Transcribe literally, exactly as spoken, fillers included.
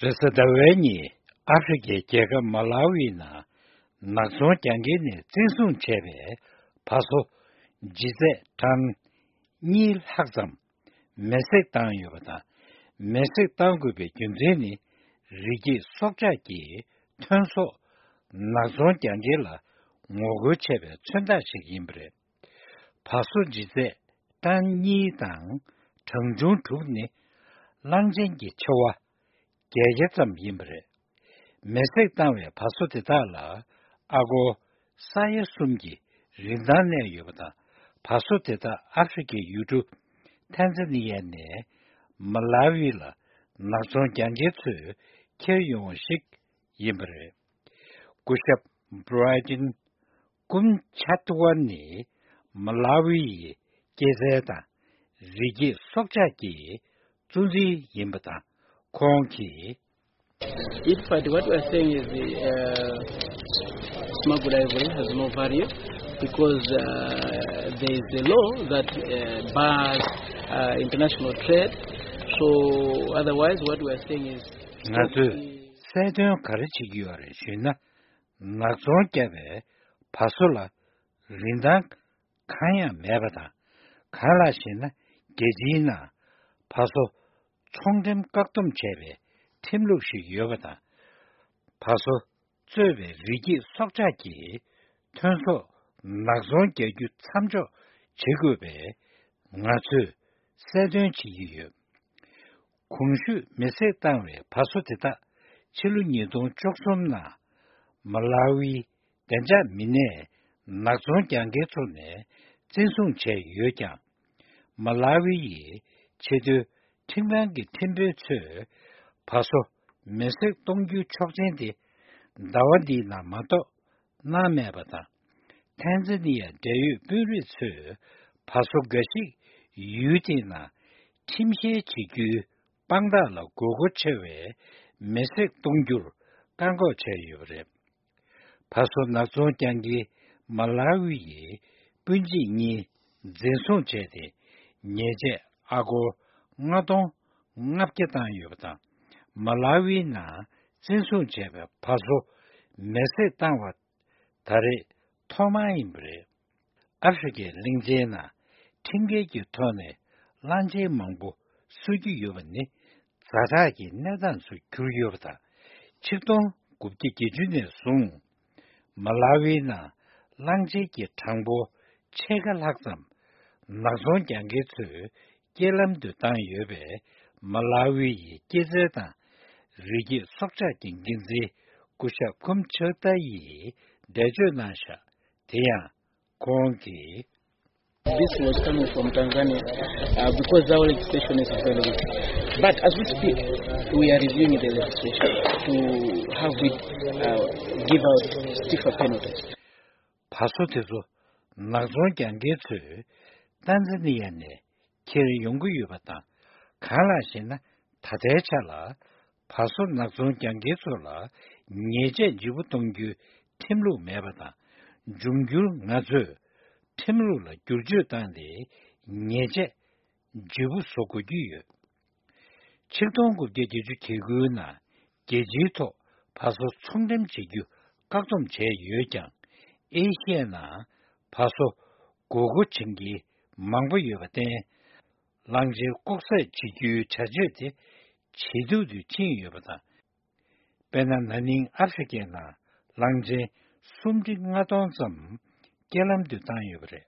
རེས་གཟའ་ཟླ་བའི་ཉིན་ཨ་ཧྥེ་རི་ཁའི་རྒྱལ་ཁབ་མ་ལ་ཝི་ནང་ནག་ཚོང་རྒྱག་མཁན་ནས་བཙན་བཟུང་བྱས་པའི་ཕ་སོ་ལྗིད་ཚད་ཊོན་གཉིས་ལྷག་ཙམ་མེ་བསྲེགས་བཏང་ཡོད་པ་དང་། མེ་བསྲེགས་བཏང་དགོས་པའི་རྒྱུ་མཚན་ནི། རི་སྐྱེས་སྲོག་ཆགས་ཀྱི་ཐོན་ཟོག་ནག་ཚོང་རྒྱག་མཁན་ལ་ངོ་རྒོལ་བྱས་པའི་མཚོན་རྟགས་ཤིག་ཡིན་པ་རེད། ཕ་སོ་ལྗིད་ཚད་ཊོན་གཉིས་དང་གྲངས་ཆུང་དྲུག་ནི་གླང་ཆེན་གྱི་ཆེ་བ་བརྒྱད་བརྒྱ་ཙམ་ཡིན་པ་རེད། མེ་བསྲེགས་བཏང་བའི་ཕ་སོ་དེ་དག་ལ་ཨ་སྒོར་ས་ཡ་གསུམ་གྱི་རིན་ཐང་གནས་ཡོད་པ་དང་། ཕ་སོ་དེ་དག་ཨ་ཧྥེ་རི་ཁའི་ཡུལ་གྲུ་ཐན་ཛ་ནི་ཡ་ནས་མ་ལ་ཝི་ལ་ནག་ཚོང་རྒྱག་མཁན་ཚོས་འཁྱེར་ཡོང་བ་ཞིག་ཡིན་པ་རེད། སྐུ་ཞབས་བྷི་རའི་ཏིན་ཀུམ་ཆ་ཏི་ཝན་ནི་མ་ལ་ཝི་ཡི་སྐྱེད་ཚལ་དང་རི་སྐྱེས་སྲོག་ཆགས་ཀྱི་གཙོ་འཛིན་ཡིན་པ་དང་། ཁོང་གིས། In fact, what we are saying is the uh, smuggled ivory has no value because uh, there is a law that uh, bars uh, international trade. So otherwise, what we are saying is ང་ཚོས་གསལ་སྟོན་ག་རེ་བྱེད་ཀྱི་ཡོད་རེད་ཞུས་ན། ནག་ཚོང་བརྒྱབ་པའི་ཕ་སོ་ལ་རིན་ཐང་གང་ཡང་མེད་པ་དང་། གང་ལགས་ཤེ་ན། རྒྱལ་སྤྱིའི་ནང་ཕ་སོ་ཚོང་འགྲེམས་བཀག་སྡོམ་བྱས་པའི་ཁྲིམས་ལུགས་ཤིག་ཡོད་པ་དང་། ཕ་སོ་གཙོས་པའི་རི་སྐྱེས་སྲོག་ཆགས་ཀྱི་ཐོན་ཟོག་ནག་ཚོང་རྒྱག་རྒྱུ་མཚམས་འཇོག་བྱེད་དགོས་པའི་ང་ཚོས་གསལ་སྟོན་བྱེད་ཀྱི་ཡོད། གོང་ཞུས་མེ་བསྲེགས་བཏང་བའི་ཕ་སོ་དེ་དག་ཕྱི་ལོ་ཉིས་སྟོང་བཅུ་གསུམ་ནང་མ་ལ་ཝིའི་བདེ་འཇགས་མི་སྣས་ནག་ཚོང་རྒྱག་མཁན་ཚོ་ནས་བཙན་བཟུང་བྱས་ཡོད་ཀྱང་། མ་ལ་ཝི་ཡི་ཆེས་མཐོའི་ཁྲིམས་ཁང་གི་ཁྲིམས་དཔོན་ཚོས་ཕ་སོ་མེ་བསྲེགས་གཏོང་རྒྱུའི་ཆོག་མཆན་དེ་ཟླ་བ་འདིའི་ནང་མ་གཏོགས་གནང་མེད་པ་དང་། ཐན་ཛ་ནི་ཡ་འབྲེལ་ཡོད་དཔོན་རིགས་ཚོས་ཕ་སོ་འགའ་ཞིག་ཡུལ་དེའི་ནང་ཁྲིམས་བཤེར་བྱེད་རྒྱུའི་དཔང་རྟགས་ལ་དགོས་མཁོ་ཆེ་བའི་མེ་བསྲེགས་གཏོང་རྒྱུར་བཀག་འགོག་བྱས་ཡོད་པ་རེད། ཕ་སོ་ནག་ཚོང་རྒྱག་མཁན་མ་ལ་ཝི་ཡི་སྤུན་མཆེད་གཉིས་འཛིན་བཟུང་བྱས་ཏེ། ཉེས་ཆད་ཨ་སྒོར་ལྔ་སྟོང་ལྔ་བརྒྱ་བཏང་ཡོད་པ་དང་། མ་ལ་ཝིའི་ནང་བཙན་བཟུང་བྱས་པའི་ཕ་སོ་མེ་བསྲེགས་བཏང་བ་ད་རེས་ཐོག་མ་ཡིན་པ་རེད། ཨ་ཧྥེ་རི་ཁའི་གླིང་ཆེན་ནང་ཁྲིམས་འགལ་གྱི་ཐོག་ནས་གླང་ཆེན་མང་པོ་གསོད་རྒྱུ་ཡོད་པ་ནི་ཛ་དྲག་གི་གནས་སྟངས་སུ་གྱུར་ཡོད་པ་དང་། ཆིག་སྟོང་དགུ་བརྒྱ་བརྒྱད་ཅུ་ནས་བཟུང་མ་ལ་ཝིའི་ནང་གླང་ཆེན་གྱི་གྲངས་འབོར་ཕྱེད་ཀ་ལྷག་ཙམ་ནག་ཚོང་རྒྱག་མཁན་ཚོས་རྐྱེན་ལམ་དུ་བཏང་ཡོད་པས། མ་ལ་ཝི་ཡི་སྐྱེད་ཚལ་དང་རི་སྐྱེས་སྲོག་ཆགས་ཀྱི་འགན་འཛིན་སྐུ་ཞབས་ཀུམ་ཆག་ཏཱ་ཡིས་འགྲེལ་བརྗོད་གནང་བཞག་དེ་ཡང་ཁོང་གིས། This was coming from Tanzania uh, because our legislation is very weak. But as we speak, we are reviewing the legislation to have it uh, give out stiffer penalties. ཕ་སོ་དེ་ཚོ་ནག་ཚོང་རྒྱག་མཁན་ཚོས་ཏན་ཛ་ནི་ཡ་ནས་འཁྱེར་ཡོང་གི་ཡོད་པ་དང་། གང་ལགས་ཤེ་ན། ད་ལྟའི་ཆ་ལ་ཕ་སོ་ནག་ཚོང་རྒྱག་མཁན་ཚོ་ལ་ཉེས་ཆད་ལྗིད་པོ་གཏོང་རྒྱུའི་ཁྲིམས་ལུགས་མེད་པ་དང་། འབྱུང་འགྱུར་ང་ཚོས་ཁྲིམས་ལུགས་ལ་བསྒྱུར་བཅོས་བཏང་སྟེ་ཉེས་ཆད་ལྗིད་པོ་བཟོ་དགོས་ཀྱི་ཡོད། ཆིག་སྟོང་དགུ་བརྒྱ་བརྒྱད་ཅུ་གྱ་དགུའི་ནང་རྒྱལ་སྤྱིའི་ཐོག་ཕ་སོ་ཚོང་འགྲེམས་བྱེད་རྒྱུ་བཀག་སྡོམ་བྱས་ཡོད་ཀྱང་། ཨེ་ཤི་ཡའི་ནང་ཕ་སོ་དགོས་མཁོ་ཅན་གྱི་མང་པོ་ཡོད་པར་བརྟེན། གླང་ཆེན་ལྐོག་ཟ་བྱེད་རྒྱུའི་བྱ་སྤྱོད་དེ་ཇེ་སྡུག་ཏུ་ཕྱིན་ཡོད་པ་དང་། དཔེར་ན། ན་ནིང་ཨ་ཧྥེ་རི་ཁའི་ནང་གླང་ཆེན་སུམ་ཁྲི་ལྔ་སྟོང་ཙམ་རྐྱེན་ལམ་དུ་བཏང་ཡོད་པ་རེད།